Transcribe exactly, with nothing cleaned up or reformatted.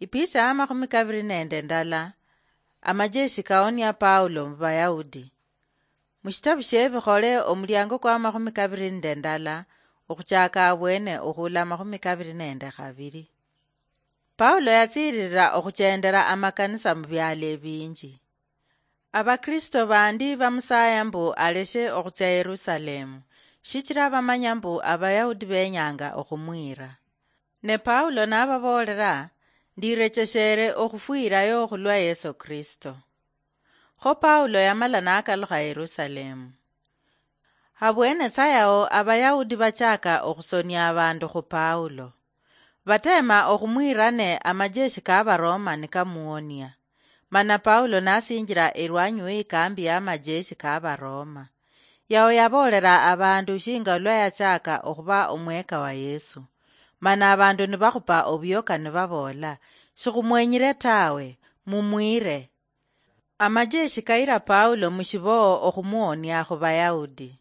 Ipicha ya makhumi kabiri nende ndala. Amajeshi kaonia Paulo mu Bayahudi. Mushitabu shie Bikhole, omuliango kwa makhumi kabiri nende ndala, okhuchaka abwene okhula makhumi kabiri nende khabiri. Paulo yatsiririra okhuchendera amakanisa mu bialo ebinji. Abakristo bandi bamusaya mbu aleshe okhutsia Yerusalemu, shichira bamanya mbu Abayahudi benyanga okhumwira. Ne Paulo nababoolera, "Ndirecheshere okhufwirayo khulwa Yesu Kristo." Kho Paulo yamala nakalukha Yerusalemu. Habwene tsa yao Abayahudi bachaka okhusonia abandu khu Paulo. Batema okhumwira ne amajeshi ka Baroma nikamuonia. Mana Paulo nasinjira erwanyi we ikambi ya amajeshi ka Baroma. Yao yaboolera abandu shinga lwa yachaka okhuba omweka wa Yesu. Mana abandu nibakhupa obioka nibaboola, "Shikhumwenyire tawe, mumwire." Amajeshi kayira Paulo mushiboo okhumuonia khu Bayahudi.